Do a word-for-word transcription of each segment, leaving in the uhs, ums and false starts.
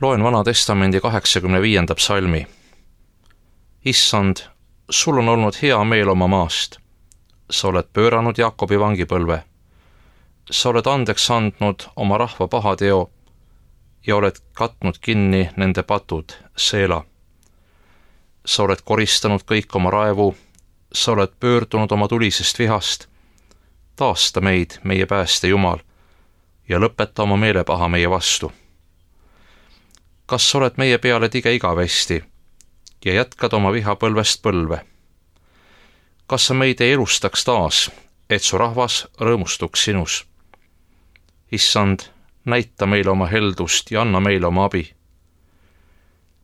Loen Vana Testamendi kaheksakümne viienda psalmi. Issand, sul on olnud hea meel oma maast. Sa oled pööranud Jaakobi vangipõlve. Sa oled andeks andnud oma rahva pahateo ja oled katnud kinni nende patud, Seela. Sa oled koristanud kõik oma raevu, sa oled pöördunud oma tulisest vihast. Taasta meid, meie pääste Jumal, ja lõpeta oma meelepaha meie vastu. Kas sa oled meie peale tige igavesti ja jätkad oma viha põlvest põlve? Kas sa meid ei elustaks taas, et su rahvas rõõmustuks sinus? Issand, näita meile oma heldust ja anna meile oma abi.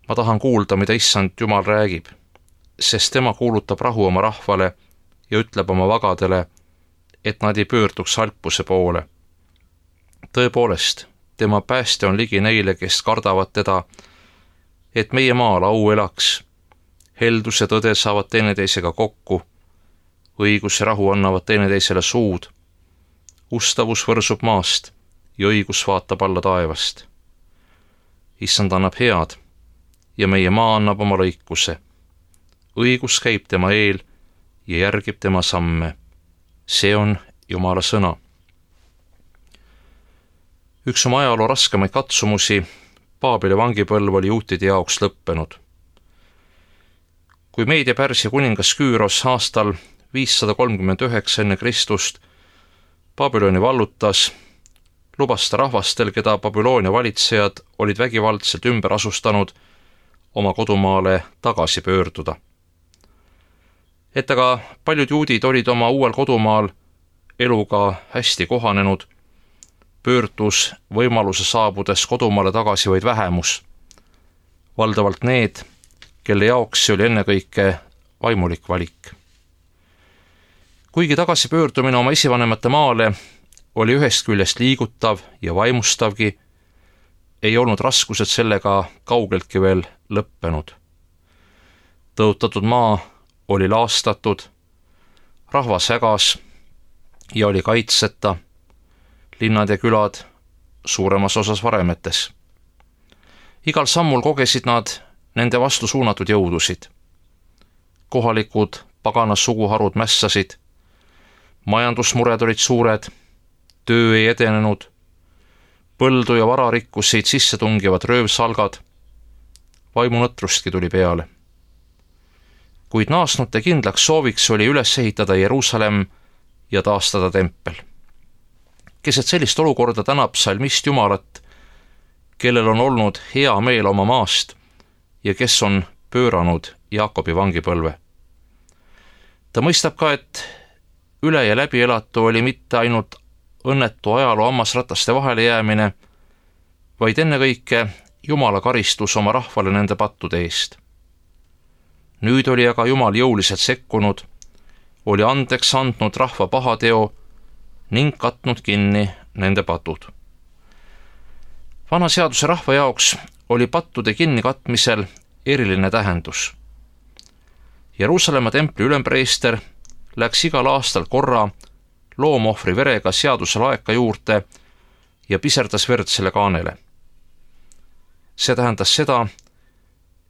Ma tahan kuulda, mida Issand Jumal räägib, sest tema kuulutab rahu oma rahvale ja ütleb oma vagadele, et nad ei pöörduks halpuse poole. Tõepoolest, tema pääste on ligi neile, kes kardavad teda, et meie maal au elaks. Heldus ja tõde saavad teineteisega kokku, õigus ja rahu annavad teineteisele suud. Ustavus võrsub maast ja õigus vaatab alla taevast. Issand annab head ja meie maa annab oma lõikuse. Õigus käib tema eel ja järgib tema samme. See on Jumala sõna. Üks oma ajaloo raskemaid katsumusi, Paabeli vangipõlv oli juutide jaoks lõppenud. Kui Meedia Pärsia kuningas Küüros aastal viissada kolmkümmend üheksa enne Kristust Babyloni vallutas, lubas ta rahvastel, keda Babyloonia valitsejad olid vägivaldselt ümber asustanud, oma kodumaale tagasi pöörduda. Et aga paljud juudid olid oma uuel kodumaal eluga hästi kohanenud, pöördus võimaluse saabudes kodumaale tagasi vaid vähemus, valdavalt need, kelle jaoks see oli ennekõike vaimulik valik. Kuigi tagasipöördumine oma esivanemate maale oli ühest küljest liigutav ja vaimustavgi, ei olnud raskused sellega kaugeltki veel lõppenud. Tõotatud maa oli laastatud, rahvas hägas ja oli kaitseta, linnad ja külad suuremas osas varemetes. Igal sammul kogesid nad nende vastu suunatud jõudusid. Kohalikud paganas suguharud mässasid, majandusmured olid suured, töö ei edenenud, põldu ja vara rikkusid sisse tungivad röövsalgad, vaimunõtrustki tuli peale. Kuid naasnute kindlaks sooviks oli üles ehitada Jeruusalemm ja taastada tempel. Keset sellist olukorda tänab psalmist Jumalat, kellel on olnud hea meel oma maast ja kes on pööranud Jaakobi vangipõlve. Ta mõistab ka, et üle ja läbi elatu oli mitte ainult õnnetu ajaloo hammasrataste vahele jäämine, vaid ennekõike Jumala karistus oma rahvale nende pattude eest. Nüüd oli aga Jumal jõuliselt sekkunud, oli andeks andnud rahva pahateo ning katnud kinni nende patud. Vana seaduse rahva jaoks oli pattude kinnikatmisel eriline tähendus. Jeruusalemma templi ülempreester läks igal aastal korra loomohvri verega seaduse laeka juurde ja piserdas verd selle kaanele. See tähendas seda,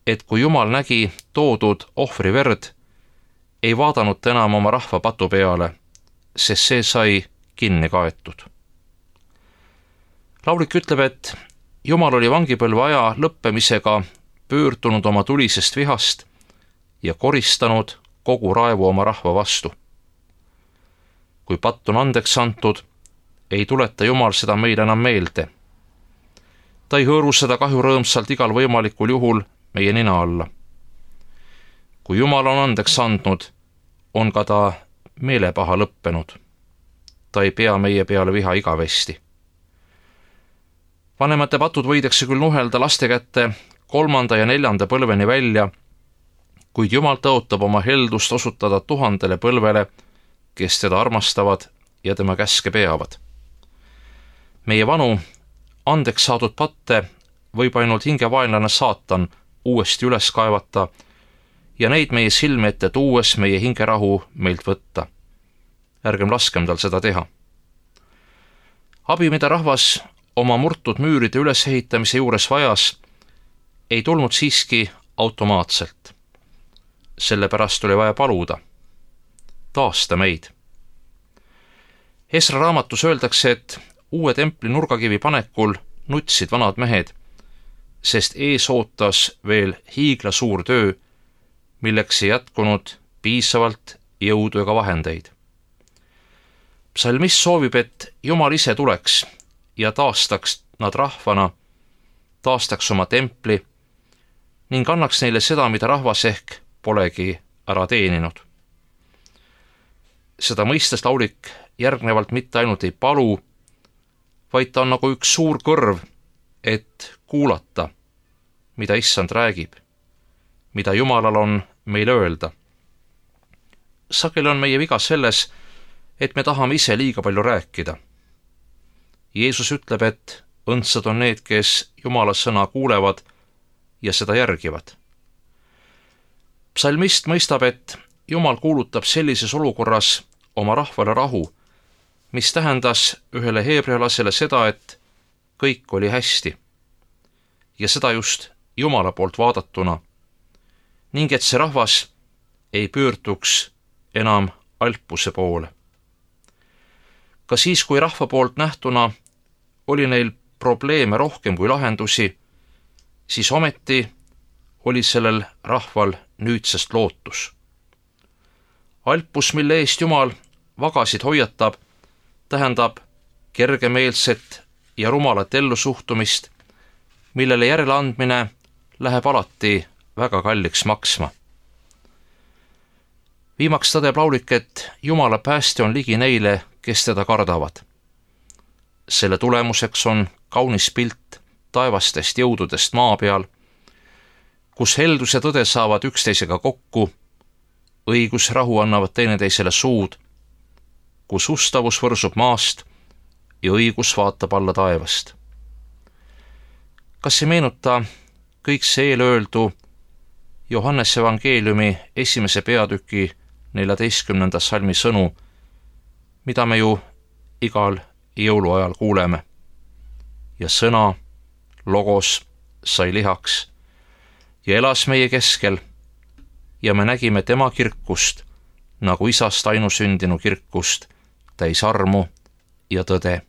et kui Jumal nägi toodud ohvri verd, ei vaadanud ta enam oma rahva patu peale, sest see sai kinni kaetud. Laulik ütleb, et Jumal oli vangipõlve aja lõppemisega pöördunud oma tulisest vihast ja koristanud kogu raevu oma rahva vastu. Kui patt on andeks antud, ei tuleta Jumal seda meile enam meelde. Ta ei hõõru seda kahju rõõmsalt igal võimalikul juhul meie nina alla. Kui Jumal on andeks andnud, on ka ta meelepaha lõppenud. Ta ei pea meie peale viha igavesti. Vanemate patud võidakse küll nuhelda laste kätte kolmanda ja neljanda põlveni välja, kuid Jumal tõotab oma heldust osutada tuhandele põlvele, kes teda armastavad ja tema käske peavad. Meie vanu, andeks saadud patte võib ainult hingevaenlane saatan uuesti üles kaevata ja neid meie silme ette tuues meie hingerahu meilt võtta. Ärgem laskem tal seda teha. Abi, mida rahvas oma murtud müüride ülesehitamise juures vajas, ei tulnud siiski automaatselt. Sellepärast oli vaja paluda. Taasta meid. Esra raamatus öeldakse, et uue templi nurgakivi panekul nutsid vanad mehed, sest ees ootas veel hiigla suur töö, milleks ei jätkunud piisavalt jõudu ega vahendeid. Psalmist soovib, et Jumal ise tuleks ja taastaks nad rahvana, taastaks oma templi ning annaks neile seda, mida rahvas ehk polegi ära teeninud. Seda mõistes laulik järgnevalt mitte ainult ei palu, vaid ta on nagu üks suur kõrv, et kuulata, mida Issand räägib, mida Jumalal on meile öelda. Sageli on meie viga selles, et me tahame ise liiga palju rääkida. Jeesus ütleb, et õndsad on need, kes Jumala sõna kuulevad ja seda järgivad. Psalmist mõistab, et Jumal kuulutab sellises olukorras oma rahvale rahu, mis tähendas ühele heebrealasele seda, et kõik oli hästi. Ja seda just Jumala poolt vaadatuna, ning et see rahvas ei pöörduks enam alpuse poole. Ka siis, kui rahva poolt nähtuna oli neil probleeme rohkem kui lahendusi, siis ometi oli sellel rahval nüüdsest lootus. Alpus, mille eest Jumal vagasid hoiatab, tähendab kergemeelset ja rumalat ellusuhtumist, millele järeleandmine läheb alati väga kalliks maksma. Viimaks tõdeb laulik, et Jumala pääste on ligi neile, kes teda kardavad. Selle tulemuseks on kaunis pilt taevastest jõududest maa peal, kus heldus ja tõde saavad üksteisega kokku, õigus ja rahu annavad teineteisele suud, kus ustavus võrsub maast ja õigus vaatab alla taevast. Kas ei meenuta kõik see eelöeldu Johannese evangeeliumi esimese peatüki neljateistkümnenda salmi sõnu, mida me ju igal jõuluajal kuuleme? Ja sõna, logos, sai lihaks ja elas meie keskel ja me nägime tema kirkust, nagu isast ainusündinu kirkust, täis armu ja tõde.